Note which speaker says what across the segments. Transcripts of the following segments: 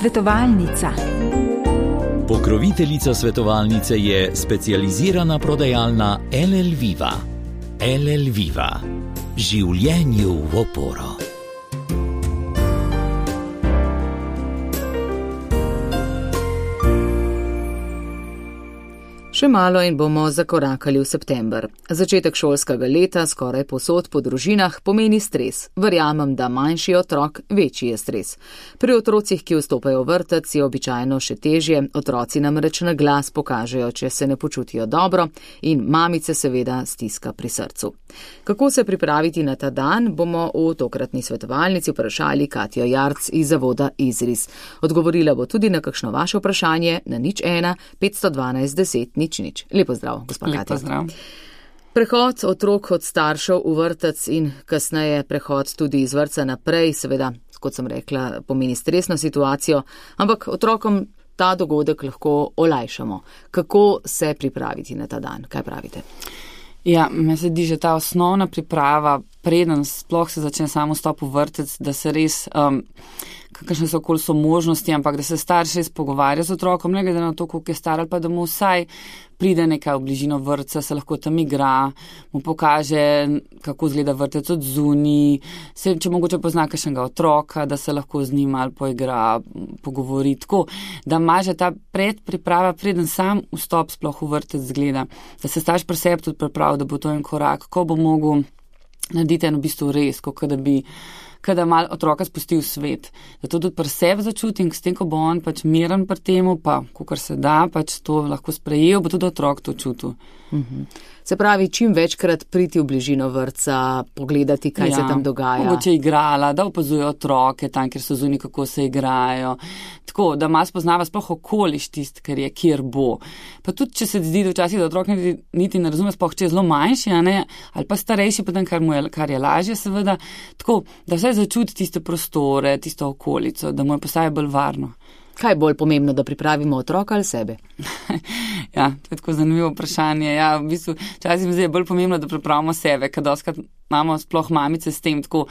Speaker 1: Svetovalnica.
Speaker 2: Pokroviteljica svetovalnice je specializirana prodajalna LL Viva. LL Viva. Življenju v oporo.
Speaker 3: Še malo in bomo zakorakali v september. Začetek šolskega leta skoraj povsod po družinah pomeni stres. Verjamem, da manjši otrok večji je stres. Pri otrocih, ki vstopajo v vrtec, je običajno še težje. Otroci namreč na glas pokažejo, če se ne počutijo dobro, in mamice seveda stiska pri srcu. Kako se pripraviti na ta dan, bomo v tokratni svetovalnici vprašali Katjo Jarc iz zavoda Izris. Odgovorila bo tudi na kakšno vaše vprašanje na 01 512 10 nič. Lepo zdrav, gospod Katja.
Speaker 4: Lepo zdrav.
Speaker 3: Prehod otrok od staršev v vrtec in kasneje prehod tudi iz vrtca naprej, seveda, kot sem rekla, pomeni stresno situacijo, ampak otrokom ta dogodek lahko olajšamo. Kako se pripraviti na ta dan? Kaj pravite?
Speaker 4: Ja, meni se zdi že ta osnovna priprava, preden sploh se začne samo vstop v vrtec, da se res, kakšne so okoli so možnosti, ampak da se starš res pogovarja z otrokom, ne glede na to, koliko je star, ali pa da mu vsaj pride nekaj v bližino vrtca, se lahko tam igra, mu pokaže, kako izgleda vrtec od zunaj, če mogoče pozna kakšnega otroka, da se lahko z njim ali poigra, pogovori, tako, da ima že ta predpriprava, preden sam vstop sploh v vrtec zgleda, da se starš pri sebi tudi pripravi, da bo to en korak, ko bo mogel narediti en v bistvu res, kada mal otroka spusti v svet. Da to tudi pri sebi začutim, s tem, ko bo on pač miren pri temu, pa kakor se da, pač to lahko sprejel, bo tudi otrok to čutil.
Speaker 3: Se pravi, čim večkrat priti v bližino vrtca, pogledati, kaj se tam dogaja.
Speaker 4: Mogoče igrala, da opazuje otroke tam, kjer so zunaj, kako se igrajo. Tako, da malo spoznava sploh okoliš tist, kjer bo. Pa tudi, če se zdi, da včasih, da otrok niti ne razume, sploh če je zelo manjši, ali pa starejši, potem, kar je lažje, seveda. Tako, da vsaj začuti tiste prostore, tisto okolico, da mu je postaje bolj varno.
Speaker 3: Kaj je bolj pomembno, da pripravimo otroka ali sebe?
Speaker 4: Ja, to je tako zanimivo vprašanje. Ja, v bistvu, včasih mi zdi bolj pomembno, da pripravimo sebe, ker doskrat imamo sploh mamice s tem, tako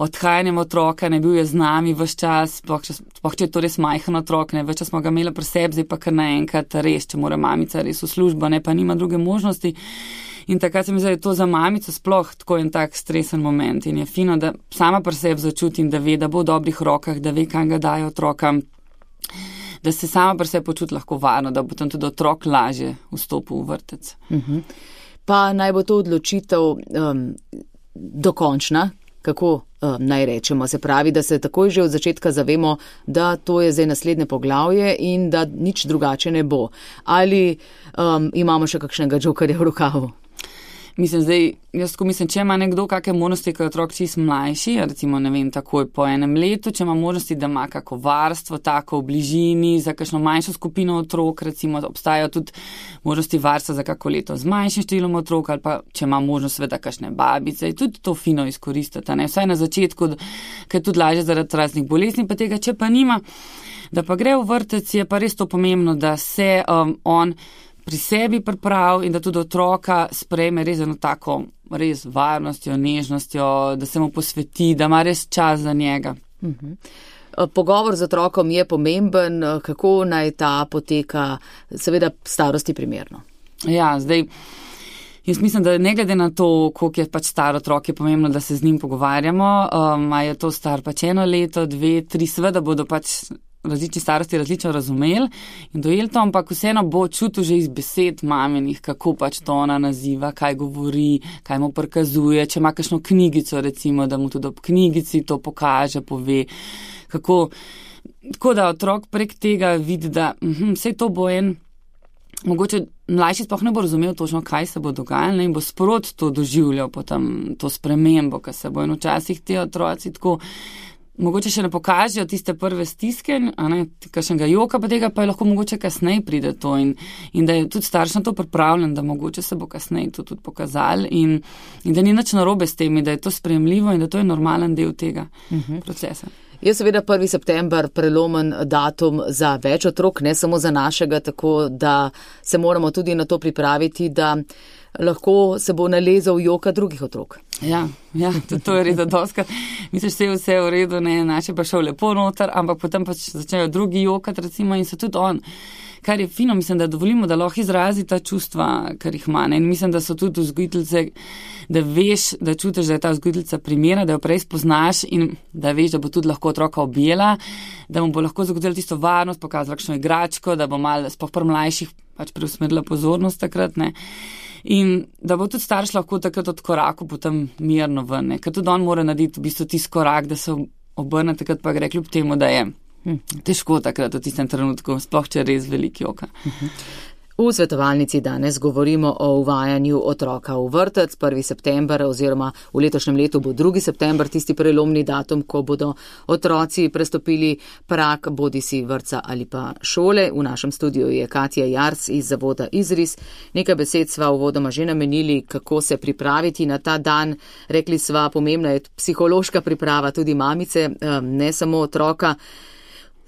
Speaker 4: odhajanjem otroka, ne bil je z nami ves čas, sploh če je to res majhen otrok, ne, več čas smo ga imeli pri sebi, zdaj pa kar naenkrat res, če mora mamica res v službo, ne, pa nima druge možnosti. In takrat se mi zdi, da je to za mamico sploh tako en tak stresen moment in je fino, da sama pri sebi začutim, da ve, da bo v dobrih rokah, da ve, kam ga daje otrokam, da se sama pri sebi počuti lahko varno, da bo tam tudi otrok lažje vstopil v vrtec.
Speaker 3: Pa naj bo to odločitev dokončna, kako naj rečemo, se pravi, da se takoj že od začetka zavemo, da to je zdaj naslednje poglavje in da nič drugače ne bo. Ali imamo še kakšnega džokarja v rokavu?
Speaker 4: Mislim, če ima nekdo kakšne možnosti, ko je otrok čist mlajši, recimo, ne vem, takoj po enem letu, če ima možnosti, da ima kako varstvo, tako v bližini, za kakšno manjšo skupino otrok, recimo, obstajajo tudi možnosti varstva za kako leto z manjšim številom otrok, ali pa če ima možnost seveda kakšne babice, tudi to fino izkoristiti, ne, vsaj na začetku, ker je tudi lažje zaradi raznih bolezni, pa tega, če pa nima, da pa gre v vrtec, je pa res to pomembno, da se on pri sebi priprav in da tudi otroka sprejme res eno tako res varnostjo, nežnostjo, da se mu posveti, da ima res čas za njega.
Speaker 3: Pogovor z otrokom je pomemben, kako naj ta poteka, seveda starosti primerno.
Speaker 4: Ja, zdaj, jaz mislim, da ne glede na to, koliko je pač star otrok, je pomembno, da se z njim pogovarjamo, a je to star pač 1 leto, 2, 3, seveda bodo pač različni starosti različno razumeli in dojeli to, ampak vseeno bo čutil že iz besed maminih, kako pač to ona naziva, kaj govori, kaj mu prikazuje, če ima kakšno knjigico, recimo, da mu tudi ob knjigici to pokaže, pove, kako, tako da otrok prek tega vidi, da vse to bo mogoče mlajši sploh ne bo razumel točno, kaj se bo dogajalo in bo sprot to doživljal potem to spremembo, ker se bo in včasih ti otroci tako mogoče še ne pokažejo tiste prve stiske, kakšnega joka, pa tega pa je lahko mogoče kasneje pride to in da je tudi starš na to pripravljen, da mogoče se bo kasneje to tudi pokazali in da ni nič narobe s temi, da je to sprejemljivo in da to je normalen del tega procesa.
Speaker 3: Je seveda 1. september prelomen datum za več otrok, ne samo za našega, tako da se moramo tudi na to pripraviti, da lahko se bo nalezal joka drugih otrok.
Speaker 4: Ja, to je res doskrat. Misliš, vse je v redu, ne, naše pa šel lepo noter, ampak potem pač začnejo drugi jokati, recimo, in so tudi on. Kar je fino, mislim, da dovolimo, da lahko izrazi ta čustva, kar jih ima. In mislim, da so tudi vzgojiteljice, da veš, da čutiš, da je ta vzgojiteljica primerna, da jo prej spoznaš in da veš, da bo tudi lahko otroka objela, da mu bo lahko zagotovila tisto varnost, pokazala kakšno igračko, da bo malo sploh pri mlajših pač preusmerila pozornost takrat, ne. In da bo tudi starš lahko takrat od koraku potem mirno ven, ne. Ker tudi on mora narediti v bistvu tisti korak, da se obrne takrat pa gre kljub temu, da je težko takrat v tistem trenutku, sploh če res veliki joka.
Speaker 3: V svetovalnici danes govorimo o uvajanju otroka v vrtec 1. september oziroma v letošnjem letu bo 2. september tisti prelomni datum, ko bodo otroci prestopili prag bodisi vrtca ali pa šole. V našem studiu je Katja Jarc iz zavoda Izris. Nekaj besed sva uvodoma že namenili, kako se pripraviti na ta dan. Rekli sva, pomembna je psihološka priprava tudi mamice, ne samo otroka.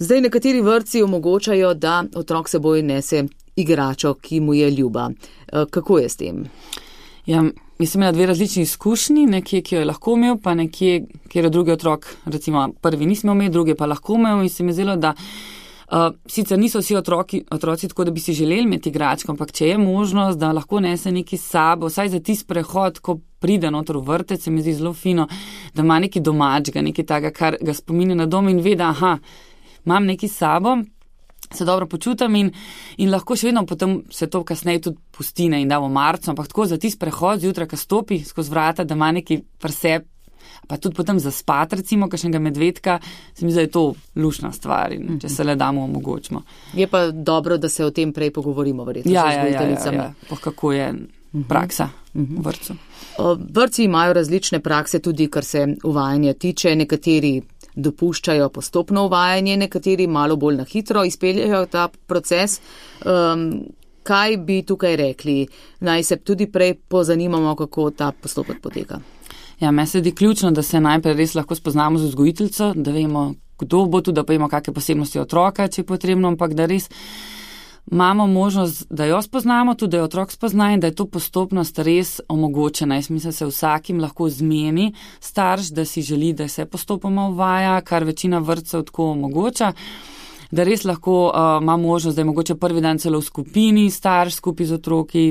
Speaker 3: Zdaj nekateri vrtci omogočajo, da otrok seboj nese igračo, ki mu je ljuba. Kako je s tem?
Speaker 4: Ja, mislim, imela 2 različni izkušnji, nekje, ki jo je lahko imel, pa nekje, kjer je drugi otrok, recimo prvi nismo imeli, drugi pa lahko imel in se mi zdelo, da sicer niso vsi otroci tako, da bi si želeli imeti igračko, ampak če je možnost, da lahko nese neki s sabo, vsaj za tisti prehod, ko pride noter v vrtec, se mi zdi zelo fino, da ima neki domačga, neki taga, kar ga spominja na dom in ve, da imam neki s sabo, se dobro počutam in lahko še vedno potem se to kasneje tudi pustine in damo marcu, ampak tako za tisti prehod zjutraj, ko stopi skozi vrata, da ima neki presep, pa tudi potem zaspat, recimo, kakšnega medvedka, se mi zdi, da je to lušna stvar in če se le damo omogočimo.
Speaker 3: Je pa dobro, da se o tem prej pogovorimo, verjetno.
Speaker 4: Ja. Kako je praksa v vrtcu.
Speaker 3: Vrtci imajo različne prakse tudi, kar se uvajanja tiče, nekateri dopuščajo postopno uvajanje, nekateri malo bolj na hitro izpeljajo ta proces. Kaj bi tukaj rekli? Naj se tudi prej pozanimamo, kako ta postopek poteka.
Speaker 4: Ja, meni se zdi ključno, da se najprej res lahko spoznamo z vzgojiteljico, da vemo, kdo bo tu, da pa imamo kakšne posebnosti otroka, če je potrebno, ampak da res imamo možnost, da jo spoznamo, tudi da jo otrok spozna in da je to postopnost res omogočena. Jaz mislim, da se vsakim lahko zmeni starš, da si želi, da se postopoma uvaja, kar večina vrtcev tako omogoča, da res lahko ima možnost, da je mogoče prvi dan celo v skupini starš skupaj z otroki,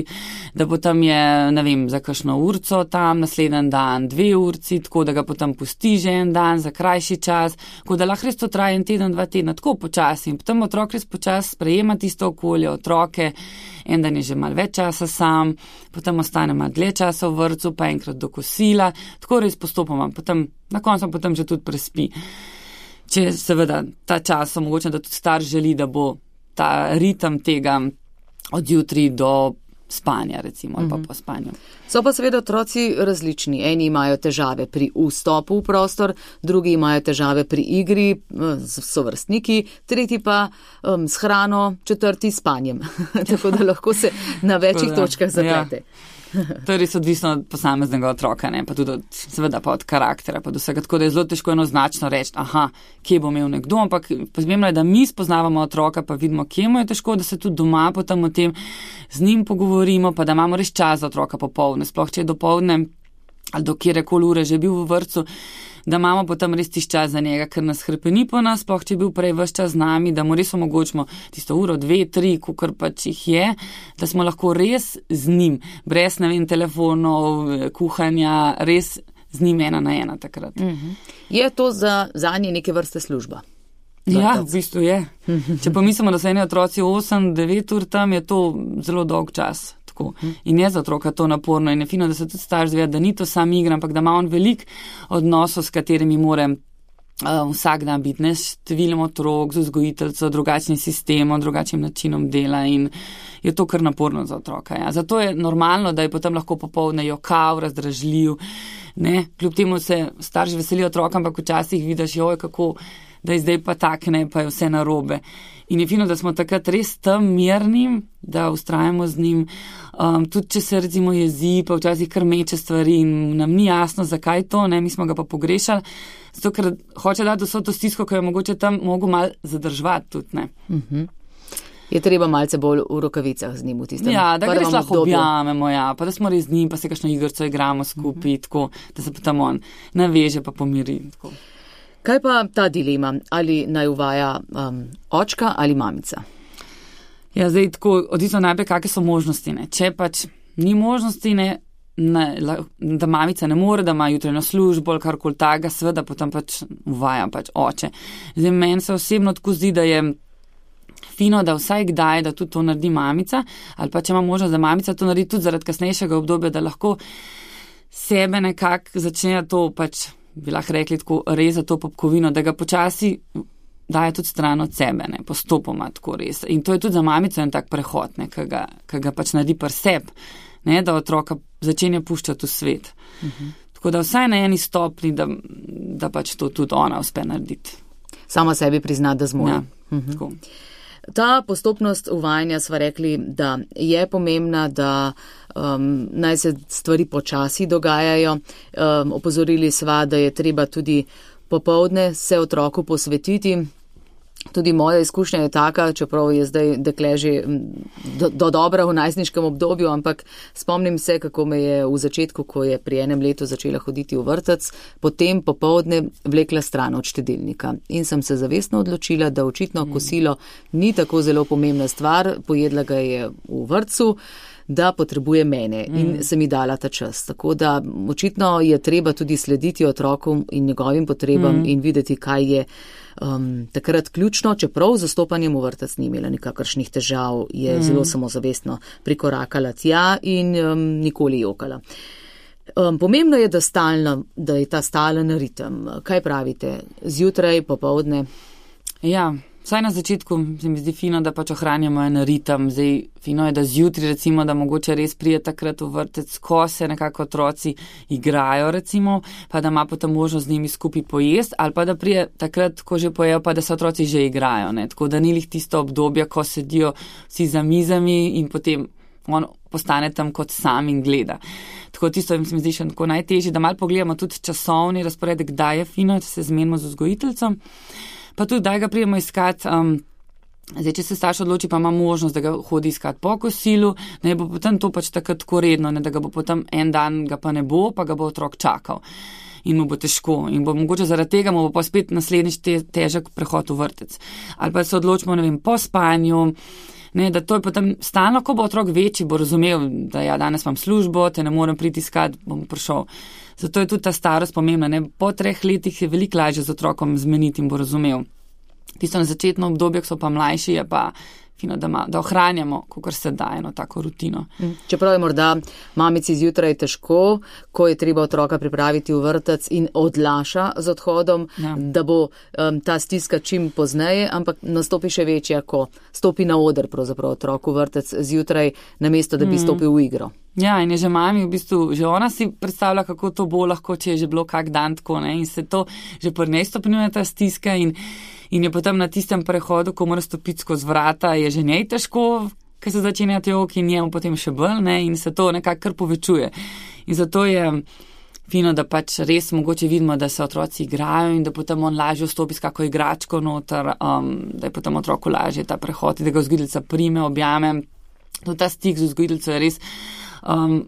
Speaker 4: da potem je, ne vem, za kakšno urco tam, naslednji dan 2 urci, tako da ga potem pusti že en dan za krajši čas, tako da lahko res to traja 1 teden, 2 tedna, tako počasi. In potem otrok res počasi sprejema tisto okolje, otroke, en dan je že malo več časa sam, potem ostane malo dlje časa v vrtcu, pa enkrat do kosila, tako res postopoma, potem na koncu potem že tudi prespi. Če seveda ta čas omogoča, da tudi starš želi, da bo ta ritem tega od jutri do spanja, recimo, ali pa po spanju.
Speaker 3: So pa seveda otroci različni. Eni imajo težave pri vstopu v prostor, drugi imajo težave pri igri z sovrstniki, tretji pa s hrano, četrti s spanjem. Tako da lahko se na večjih točkah zaplete.
Speaker 4: Ja. To je res odvisno od posameznega otroka, ne? Pa tudi seveda pa od karaktera, pa do vsega, tako da je zelo težko enoznačno reči, kje bo imel nekdo, ampak pomembno je, da mi spoznavamo otroka, pa vidimo, kje mu je težko, da se tudi doma potem o tem z njim pogovorimo, pa da imamo res čas za otroka popoldne, sploh če je dopoldne ali do kjerekoli ure že bil v vrtcu, da imamo potem res tisti čas za njega, ker nas hrepeni po nas, sploh če je bil prej ves čas z nami, da mu res omogočimo tisto uro, 2, 3, kakor pač jih je, da smo lahko res z njim, brez, ne vem, telefonov, kuhanja, res z njim 1 na 1 takrat.
Speaker 3: Je to zanje neke vrste služba?
Speaker 4: Ja, v bistvu je. Če pa mislimo, da so eni otroci 8-9 ur tam, je to zelo dolg čas. In je za otroka to naporno in je fino, da se tudi starš zve, da ni to sam igra, ampak da ima on veliko odnosov, s katerimi mora vsak dan biti, ne, številom otrok, z vzgojiteljico, drugačnim sistemom, drugačnim načinom dela in je to kar naporno za otroka. Ja. Zato je normalno, da je potem lahko popoldne jokav, razdražljiv, ne, kljub temu se starši veselijo otroka, ampak včasih vidiš, kako da je zdaj pa tak, ne, pa je vse narobe. In je fino, da smo takrat res tam mirni, da ustrajamo z njim, tudi če se recimo jezi, pa včasih kar meče stvari in nam ni jasno, zakaj to, ne, mi smo ga pa pogrešali, zato ker hoče dati vso to stisko, ko je mogoče tam mogo malo zadrževati tudi, ne.
Speaker 3: Je treba malce bolj v rokavicah z njim v tistem
Speaker 4: da ga res lahko
Speaker 3: obdobju.
Speaker 4: objamemo, pa da smo res z njim, pa se kakšno igrico igramo skupaj, tako, da se potem on naveže pa pomiri. Tako.
Speaker 3: Kaj pa ta dilema, ali naj uvaja očka ali mamica?
Speaker 4: Ja, zdaj tako, odvisno najprej, kakve so možnosti, ne. Če pač ni možnosti, da mamica ne more, da ima jutranjo službo ali karkoli takega, seveda potem pač uvaja pač oče. Zdaj meni se osebno tako zdi, da je fino, da vsaj kdaj, da tudi to naredi mamica, ali pa če ima možnost, da mamica to naredi tudi zaradi kasnejšega obdobja, da lahko sebe nekako začne to pač, bi lahko rekli tako, reza to popkovino, da ga počasi daje tudi stran od sebe, ne, postopoma tako res. In to je tudi za mamico en tak prehod, ne, ki ga pač naredi pri sebi, ne, da otroka začenja puščati v svet. Tako da vsaj na eni stopni, da pač to tudi ona uspe narediti.
Speaker 3: Sama sebi prizna, da zmore.
Speaker 4: Ja, tako.
Speaker 3: Ta postopnost uvajanja sva rekli, da je pomembna, da naj se stvari počasi dogajajo. Opozorili sva, da je treba tudi popoldne se otroku posvetiti. Tudi moja izkušnja je taka, čeprav je zdaj dekle že do dobra v najstniškem obdobju, ampak spomnim se, kako me je v začetku, ko je pri enem letu začela hoditi v vrtec, potem popoldne vlekla stran od štedilnika. In sem se zavestno odločila, da očitno kosilo ni tako zelo pomembna stvar, pojedla ga je v vrtcu, da potrebuje mene in se mi dala ta čas. Tako da očitno je treba tudi slediti otrokom in njegovim potrebam in videti, kaj je takrat ključno, čeprav z zastopanjem v vrtec ni imela nikakršnih težav, je zelo samozavestno prikorakala tja in nikoli jokala. Pomembno je, da je ta stalen ritem. Kaj pravite? Zjutraj, popoldne?
Speaker 4: Ja, vsaj na začetku se mi zdi fino, da pač ohranjamo en ritem. Zdaj, fino je, da zjutraj recimo, da mogoče res prije takrat v vrtec, ko se nekako otroci igrajo recimo, pa da ima potem možnost z njimi skupaj pojesti, ali pa da prije takrat, ko že pojejo, pa da se otroci že igrajo. Ne? Tako da ni lih tisto obdobje, ko sedijo vsi za mizami in potem on postane tam kot sam in gleda. Tako tisto mi zdi še tako najtežje, da malo pogledamo tudi časovni razporedek, kdaj je fino, da se zmenimo z vzgojiteljcem. Pa tudi, da ga prijemo iskati, zdaj, če se starš odloči, pa ima možnost, da ga hodi iskati po kosilu, ne bo potem to pač tako redno, ne, da ga bo potem en dan ga pa ne bo, pa ga bo otrok čakal. In mu bo težko. In bo mogoče zaradi tega mu bo pa spet naslednjič težek prehod v vrtec. Ali pa se odločimo, ne vem, po spanju, ne, da to je potem stalno, ko bo otrok večji, bo razumel, da ja, danes imam službo, te ne morem priti iskat, bom prišel. Zato je tudi ta starost pomembna. Ne. Po 3 letih je veliko lažje z otrokom zmeniti in bo razumel. Tisto na začetno obdobje, ko so pa mlajši, je pa fino, da ohranjamo, kakor se da, eno tako rutino.
Speaker 3: Čeprav je morda mamici zjutraj težko, ko je treba otroka pripraviti v vrtec in odlaša z odhodom, da bo ta stiska čim pozneje, ampak nastopi še večja, ko stopi na oder pravzaprav otrok v vrtec zjutraj, namesto da bi stopil v igro.
Speaker 4: Ja, in je že mami, v bistvu, že ona si predstavlja, kako to bo lahko, če je že bilo kak dan tako, ne, in se to že pri njej stopnjuje ta stiska in je potem na tistem prehodu, ko mora stopiti skozi vrata, je že njej težko, ker se začenja jok in njemu potem še bolj, ne, in se to nekako kar povečuje. In zato je fino, da pač res mogoče vidimo, da se otroci igrajo in da potem on lažje vstopi s kako igračko noter, da je potem otroku lažje ta prehod, da ga vzgojiteljica prime, objame. To ta stik z vzgojiteljico je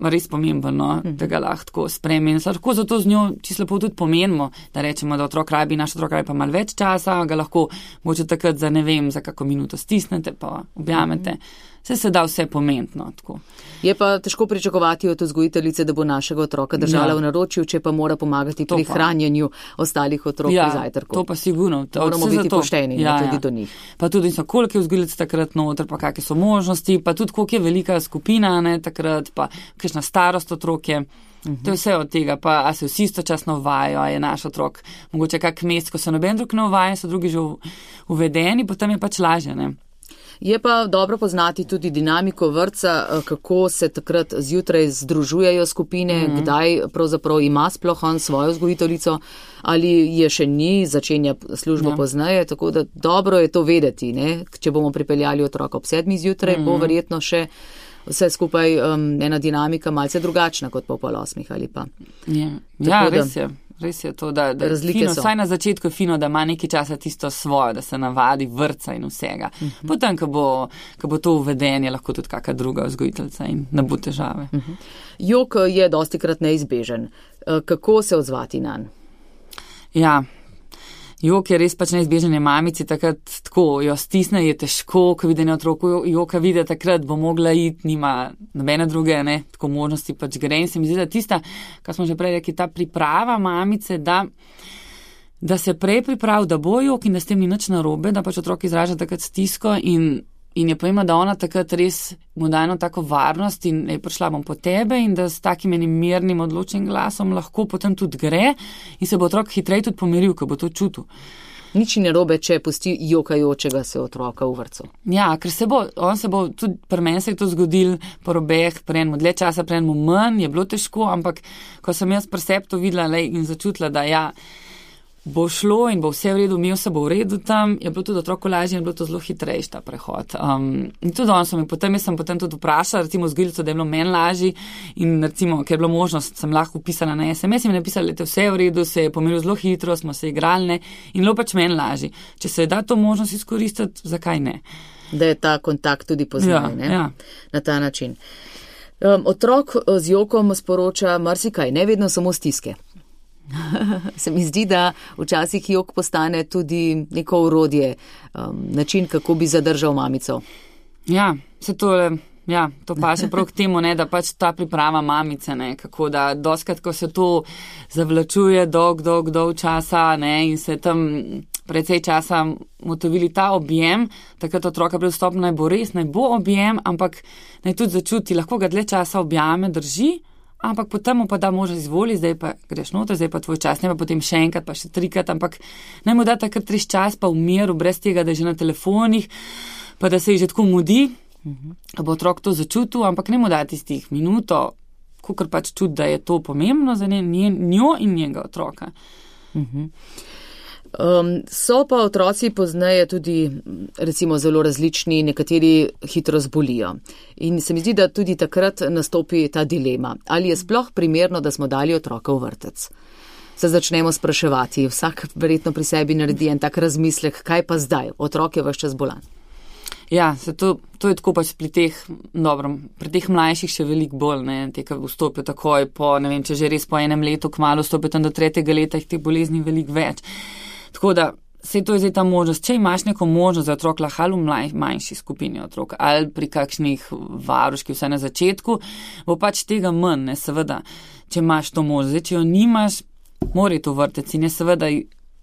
Speaker 4: res pomemben, no, da ga lahko sprejme. In lahko zato z njo čisto lepo tudi pomenimo, da rečemo, da naš otrok rabi pa malo več časa, ga lahko mogoče takrat za ne vem, za kako minuto stisnete pa objamete. Se da vse pomentno. Tako.
Speaker 3: Je pa težko pričakovati od vzgojiteljice, da bo našega otroka držala v naročju, če pa mora pomagati pri hranjenju ostalih otrok pri zajtrku.
Speaker 4: To pa sigurno.
Speaker 3: Moramo biti pošteni tudi do njih.
Speaker 4: Pa tudi koliko je vzgojiteljic takrat noter, pa kakšne so možnosti, pa tudi koliko je velika skupina, ne, takrat, pa kakšna starost otroke. To je vse od tega, pa a se vsi istočasno uvajajo, a je naš otrok mogoče kak mesec, ko se noben drug ne uvaja, so drugi že uvedeni, potem je pač lažje, ne.
Speaker 3: Je pa dobro poznati tudi dinamiko vrtca, kako se takrat zjutraj združujejo skupine, kdaj pravzaprav ima sploh on svojo vzgojiteljico ali je še ni, začenja službo pozneje, tako da dobro je to vedeti, ne? Če bomo pripeljali otroka ob 7 zjutraj, bo verjetno še vse skupaj ena dinamika malce drugačna kot po 7:30 ali pa.
Speaker 4: Ja, res je. res je to, da
Speaker 3: razlike
Speaker 4: fino,
Speaker 3: so.
Speaker 4: vsaj na začetku je fino, da ima nekaj časa tisto svojo, da se navadi vrtca in vsega. Potem, ko bo to uvedenje, lahko tudi kakšna druga vzgojiteljica in ne bo težave.
Speaker 3: Jok je dostikrat neizbežen. Kako se odzvati nanj?
Speaker 4: Ja, jok je res pač neizbežen, je mamici takrat tako, jo stisne, je težko, ko vidi na otroku joka, vidi takrat, bo mogla iti, nima nobene druge, ne, tako možnosti pač gre. In se mi zdi, da tista, kar smo že prej rekli, ta priprava mamice, da se prej pripravi, da bo jok in da s tem ni nič narobe, da pač otrok izraža takrat stisko in je pomembno, da ona takrat res mu da eno tako varnost in je prišla bom po tebe in da s takim enim mirnim odločnim glasom lahko potem tudi gre in se bo otrok hitreje tudi pomiril, ko bo to čutil.
Speaker 3: Nič ni narobe, če pusti jokajočega se otroka v vrtcu.
Speaker 4: Ja, ker on se bo tudi pri meni se je to zgodil po robeh, pri enemu dlje časa, pri enemu manj, je bilo težko, ampak ko sem jaz pri sebi to videla in začutila, da ja, bo šlo in bo vse v redu, imel se bo v redu tam, je bilo tudi otroku lažje in je bilo to zelo hitrejši ta prehod. In tudi on so mi potem, jaz sem potem tudi vprašala, recimo vzgojiteljico, da je bilo meni lažje in recimo, ker je bilo možnost, sem lahko upisala na SMS in mi napisala, da je vse v redu, se je pomiril zelo hitro, smo se igrali, ne, in bilo pač meni lažje. Če se da to možnost izkoristiti, zakaj ne?
Speaker 3: Da je ta kontakt tudi poznaj, ne?
Speaker 4: Ja.
Speaker 3: Na ta način. Otrok z jokom sporoča marsikaj, ne vedno samo stiske. Se mi zdi, da včasih jok postane tudi neko orodje, način, kako bi zadržal mamico.
Speaker 4: Ja, to pa še prav k temu, ne, da pač ta priprava mamice, ne, kako da doskrat, ko se to zavlačuje dolg časa, ne, in se tam precej časa motovili ta objem, takrat otroka pred vstopom naj bo objem, ampak naj tudi začuti, lahko ga dlje časa objame, drži, ampak potem mu pa da možnost izvoli, zdaj pa greš noter, zdaj pa tvoj čas, ne pa potem še enkrat, pa še 3krat, ampak naj mu da takrat 3 čas pa v miru, brez tega, da je že na telefonih, pa da se je že tako mudi, da bo otrok to začutil, ampak ne mu da tistih minuto, kakor pač čuti, da je to pomembno za njo in njega otroka.
Speaker 3: So pa otroci pozneje tudi recimo zelo različni, nekateri hitro zbolijo. In se mi zdi, da tudi takrat nastopi ta dilema. Ali je sploh primerno, da smo dali otroka v vrtec? Se začnemo spraševati, vsak verjetno pri sebi naredi en tak razmislek, kaj pa zdaj, otrok je ves čas bolan.
Speaker 4: Ja, to je tako pač pri teh mlajših še veliko bolj, ne, te, ki vstopijo takoj po, ne vem, če že res po enem letu, kmalu vstopijo tam do 3. leta, jih teh bolezni veliko več. Tako da, se to je zdaj ta možnost, če imaš neko možnost za otrok, lahko ali v manjši skupini otrok, ali pri kakšnih varuških, vsaj na začetku, bo pač tega manj, ne, seveda, če imaš to možnost. Zdaj, če jo nimaš, mora to vrtec in je seveda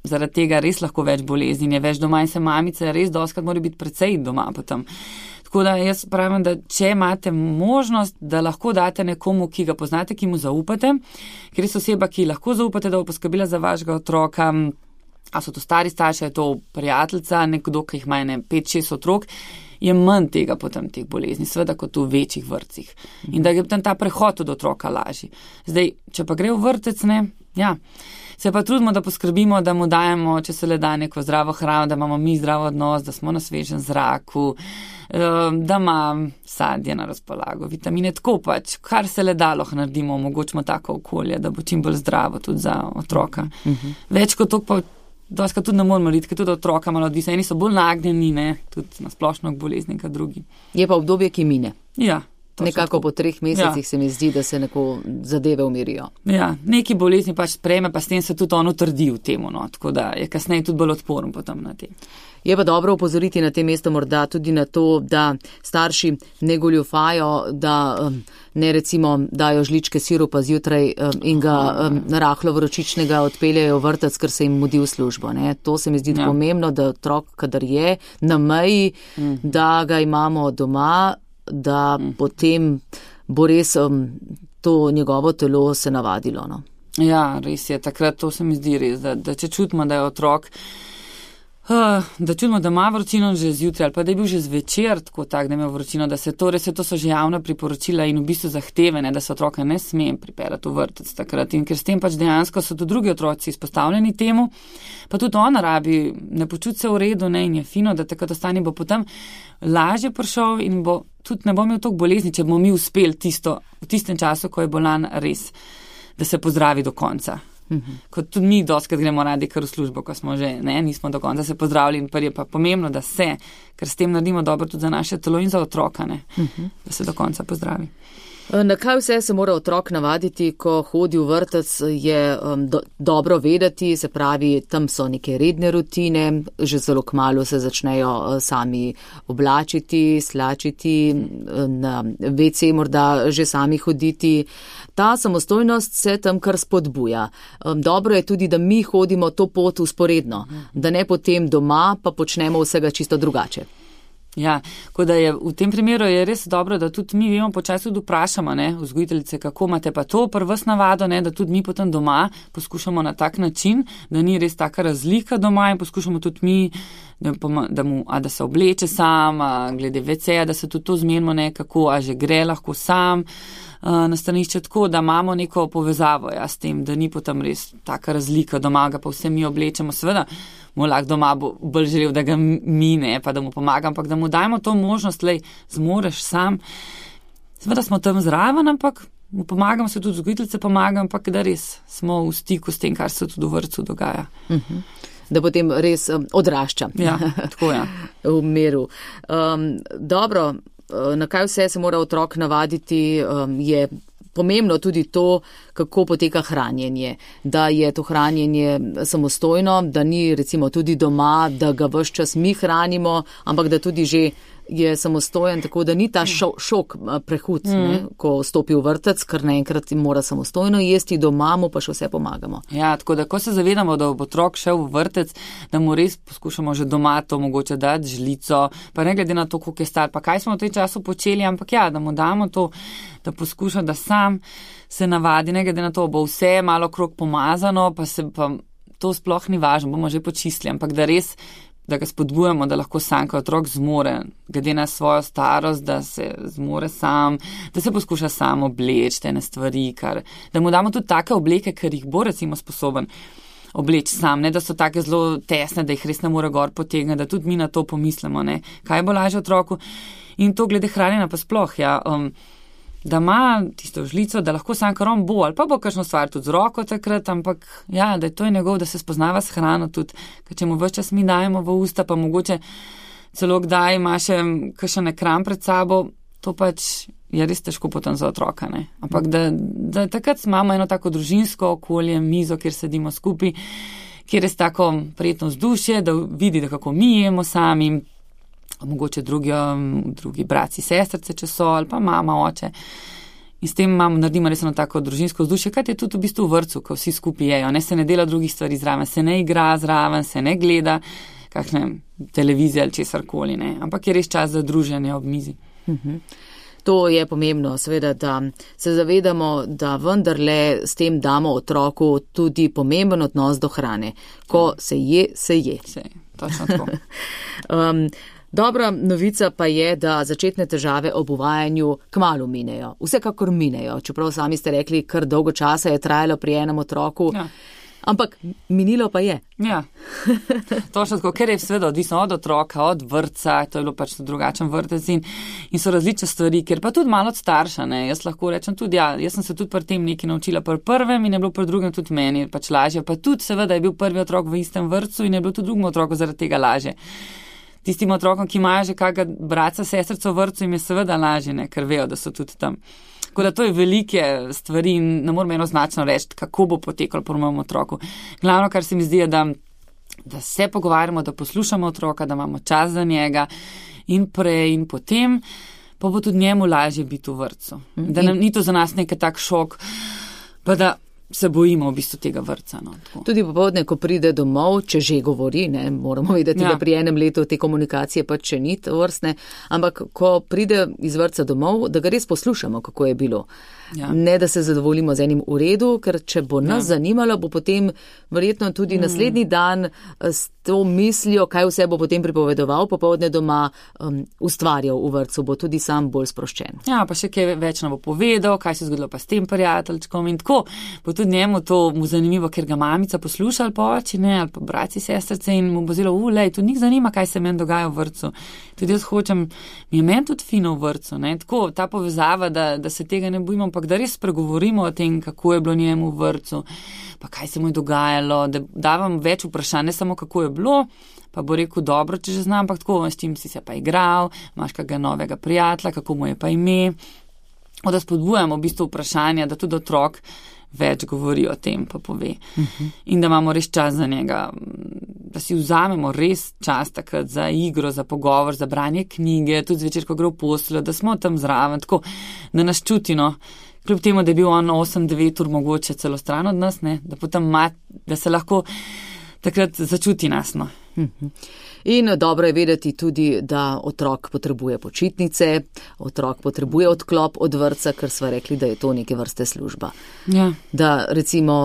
Speaker 4: zaradi tega res lahko več bolezni, je več doma in se mamice res doskrat mora biti precej doma potem. Tako da jaz pravim, da če imate možnost, da lahko date nekomu, ki ga poznate, ki mu zaupate, ker je oseba, ki lahko zaupate, da bo poskrbila za vašega otroka, a so to stari starši, je to prijateljica, nekdo, ki jih ima 5-6 otrok, je manj tega potem teh bolezni, seveda kot v večjih vrtcih. In da je potem ta prehod od otroka lažji. Zdaj, če pa gre v vrtec, ne, ja, se pa trudimo, da poskrbimo, da mu dajemo, če se le da neko zdravo hrano, da imamo mi zdrav odnos, da smo na svežem zraku, da ima sadje na razpolago, vitamine, tako pač, kar se le da lahko naredimo, omogočimo tako okolje, da bo čim bolj zdravo tudi za otroka. Več kot to pa doskrat tudi ne moramo narediti, ker tudi otroka malo odvisno. Eni so bolj nagnjeni, ne, tudi na splošno k bolezni, kot drugi.
Speaker 3: Je pa obdobje, ki mine.
Speaker 4: Ja.
Speaker 3: Nekako po 3 mesecih se mi zdi, da se neko zadeve umirijo.
Speaker 4: Ja, neki bolezni pač sprejme, pa s tem se tudi on utrdi v temu, no, tako da je kasneje tudi bolj odporen potem na tem.
Speaker 3: Je pa dobro opozoriti na tem mestu morda tudi na to, da starši ne goljufajo, da ne recimo dajo žličke sirupa zjutraj in ga rahlo vročičnega odpeljajo v vrtec, ker se jim mudi v službo. Ne. To se mi zdi pomembno, da otrok, kadar je na meji, da ga imamo doma, da potem bo res to njegovo telo se navadilo. No.
Speaker 4: Ja, res je, takrat to se mi zdi res, da če čutimo, da je otrok, da čutimo, da ima vročino že zjutraj ali pa da je bil že zvečer tako tak, da ima vročino, da se to res, to so že javna priporočila in v bistvu zahtevene, da se otroka ne sme pripeljati v vrtec takrat in ker s tem pač dejansko so tudi drugi otroci izpostavljeni temu, pa tudi ona rabi, ne počuti se v redu, ne, in je fino, da takrat ostane, bo potem lažje prišel in bo tudi ne bo imel toliko bolezni, če bomo mi uspeli v tistem času, ko je bolan res, da se pozdravi do konca. Kot tudi mi dostkrat gremo radi kar v službo, ko smo že, nismo do konca se pozdravili in je pa pomembno, da se, ker s tem naredimo dobro tudi za naše telo in za otroka, da se do konca pozdravi.
Speaker 3: Na kaj vse se mora otrok navaditi, ko hodi v vrtec, je dobro vedeti, se pravi, tam so neke redne rutine, že zelo kmalu se začnejo sami oblačiti, slačiti, na WC morda že sami hoditi. Ta samostojnost se tam kar spodbuja. Dobro je tudi, da mi hodimo to pot vzporedno, da ne potem doma pa počnemo vsega čisto drugače.
Speaker 4: Ja, ko da je v tem primeru je res dobro, da tudi mi vemo počasi tudi vprašamo, vzgojiteljice, kako imate pa to prvs navado, da tudi mi potem doma poskušamo na tak način, da ni res taka razlika doma in poskušamo tudi mi, da se obleče sam, glede WC-ja, da se tudi to zmenimo, kako, a že gre lahko sam na stranišče, tako da imamo neko povezavo s tem, da ni potem res taka razlika doma, ga pa vse mi oblečemo, seveda. Mu lahko doma bo bolj želel, da ga mine, pa da mu pomagam, ampak da mu dajmo to možnost, zmoreš sam. Seveda smo tam zraven, ampak mu pomagam, se tudi vzgojiteljice pomagam, ampak da res smo v stiku s tem, kar se tudi v vrtcu dogaja.
Speaker 3: Da potem res odrašča.
Speaker 4: Ja, tako je.
Speaker 3: V miru. Dobro, na kaj vse se mora otrok navaditi, je pomembno tudi to, kako poteka hranjenje, da je to hranjenje samostojno, da ni recimo tudi doma, da ga ves čas mi hranimo, ampak da tudi že je samostojen, tako da ni ta šok prehud, ko stopi v vrtec, ker naenkrat mora samostojno jesti, doma mu pa še vse pomagamo.
Speaker 4: Ja, tako da ko se zavedamo, da bo otrok šel v vrtec, da mu res poskušamo že doma to mogoče dati žlico, pa ne glede na to, koliko je star, pa kaj smo v tem času počeli, ampak da mu damo to, da poskuša, da sam se navadi, ne glede na to, bo vse malo krog pomazano, pa to sploh ni važno, bomo že počistili, ampak da res da ga spodbujamo, da lahko sam, ko otrok zmore, glede na svojo starost, da se zmore sam, da se poskuša sam obleči te stvari, da mu damo tudi take obleke, ker jih bo recimo sposoben obleči sam, ne da so take zelo tesne, da jih res ne more gor potegniti, da tudi mi na to pomislimo, kaj bo lažje otroku. In to glede hranjenja pa sploh, da ima tisto žlico, da lahko sam kar on bo, ali pa bo kakšno stvar tudi z roko takrat, ampak da je to njegov, da se spoznava s hrano tudi, ker če mu ves čas mi dajemo v usta, pa mogoče celo kdaj ima še kakšen ekran pred sabo, to pač je res težko potem za otroka, ampak da takrat imamo eno tako družinsko okolje, mizo, kjer sedimo skupaj, kjer je tako prijetno vzdušje, da vidi, da kako mi jemo sami, mogoče drugi braci, sestrice, če so, ali pa mama, oče. In s tem naredimo res eno tako družinsko vzdušje, kaj je tudi v bistvu v vrtcu, ko vsi skupaj jejo, se ne dela drugih stvari zraven, se ne igra zraven, se ne gleda kakšne televizije ali česarkoli, ampak je res čas za druženje ob mizi.
Speaker 3: To je pomembno, seveda, da se zavedamo, da vendarle s tem damo otroku tudi pomemben odnos do hrane. Ko se je, se je.
Speaker 4: Točno tako.
Speaker 3: Dobra novica pa je, da začetne težave ob uvajanju kmalu minejo. Vsekakor minejo, čeprav sami ste rekli, kar dolgo časa je trajalo pri enem otroku. Ja. Ampak minilo pa je.
Speaker 4: Ja, točno tako, ker je seveda odvisno od otroka, od vrtca, to je bilo pač drugačen vrtec in so različne stvari, ker pa tudi malo od starša, jaz lahko rečem tudi, jaz sem se tudi pri tem nekaj naučila pri prvem in je bilo pri drugem tudi meni pač lažje, pa tudi seveda je bil prvi otrok v istem vrtcu in je bilo tudi drugemu otroku zaradi tega lažje. Tistim otrokom, ki imajo že kakega brata, sestrico v vrtcu, jim je seveda lažje, ker vejo, da so tudi tam. Tako da to je velike stvari in ne moramo enoznačno reči, kako bo potekalo po mojem otroku. Glavno, kar se mi zdi, je, da se pogovarjamo, da poslušamo otroka, da imamo čas za njega in prej in potem, pa bo tudi njemu lažje biti v vrtcu. Da nam ni to za nas nekaj tak šok, pa da se bojimo v bistvu tega vrtca.
Speaker 3: Tudi popoldne, ko pride domov, če že govori, moramo vedeti, da pri enem letu te komunikacije pač še ni vrstne, ampak ko pride iz vrtca domov, da ga res poslušamo, kako je bilo. Ja. Ne, da se zadovoljimo z enim v redu, ker če bo nas zanimalo, bo potem verjetno tudi naslednji dan s to mislijo, kaj vse bo potem pripovedoval popoldne doma, ustvarjal v vrtcu, bo tudi sam bolj sproščen.
Speaker 4: Ja, pa še kaj več nam bo povedal, kaj se je zgodilo pa s tem prijateljčkom in tako bo tudi njemu to mu zanimivo, ker ga mamica posluša ali pa oči, ne, ali pa braci, sestrice in mu bo zelo, lej, tudi njih zanima, kaj se meni dogaja v vrtcu. Tudi jaz hočem, mi je meni tudi fino v vrtcu, ne, tako ta povezava, da se tega ne bojimo, ampak da res spregovorimo o tem, kako je bilo njemu v vrtcu, pa kaj se mu je dogajalo, da davam več vprašanj, ne samo kako je bilo, pa bo rekel dobro, če že znam, ampak tako, s čim si se pa igral, imaš kakega novega prijatelja, kako mu je pa ime. Da spodbujamo v bistvu vprašanja, da tudi otrok več govori o tem, pa pove. In da imamo res čas za njega, da si vzamemo res čas takrat za igro, za pogovor, za branje knjige, tudi zvečer, ko gre v posteljo, da smo tam zraven, tako, da nas čuti, no. Kljub temu, da je bil on 8-9 ur mogoče celo stran od nas, ne, da potem da se lahko takrat začuti nas, no.
Speaker 3: In dobro je vedeti tudi, da otrok potrebuje počitnice, otrok potrebuje odklop od vrtca, ker sva rekli, da je to neke vrste služba.
Speaker 4: Ja.
Speaker 3: Da recimo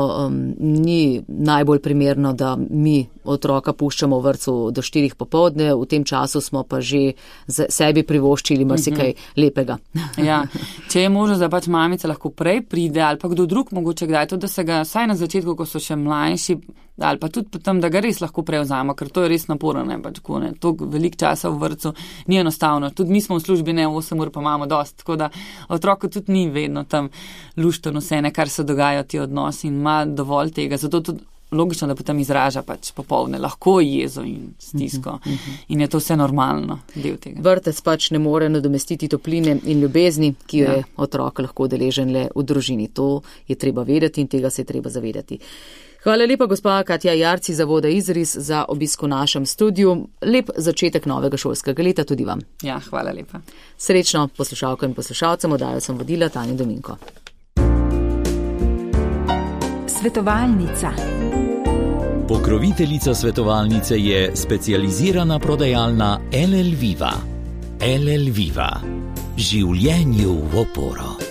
Speaker 3: ni najbolj primerno, da mi otroka puščamo v vrtcu do 4 popoldne, v tem času smo pa že sebi privoščili marsikaj lepega.
Speaker 4: Ja. Če je možno, da pač mamica lahko prej pride ali pa kdo drug mogoče kdaj, to da se ga vsaj na začetku, ko so še mlajši, ali pa tudi potem, da ga res lahko prevzamo, ker to je res naporno, ne, pač tako, ne, toliko veliko časa v vrtcu ni enostavno. Tudi mi smo v službi, ne, 8 ur pa imamo dost, tako da otroku tudi ni vedno tam lušteno vse, ne, kar se dogaja ti odnosi in ima dovolj tega, zato tudi logično, da potem izraža pač popoldne lahko jezo in stisko in je to vse normalno del tega.
Speaker 3: Vrtec pač ne more nadomestiti topline in ljubezni, ki jo je otrok lahko deležen le v družini. To je treba vedeti in tega se je treba zavedati. Hvala lepa, gospa Katja Jarc iz Zavoda Izris, za obisk v našem studiu. Lep začetek novega šolskega leta tudi vam.
Speaker 4: Ja, hvala lepa.
Speaker 3: Srečno poslušalkam in poslušalcem, oddajo sem vodila Tanja Dominko.
Speaker 1: Svetovalnica.
Speaker 2: Pokroviteljica svetovalnice je specializirana prodajalna LL Viva. LL Viva. Življenju v oporo.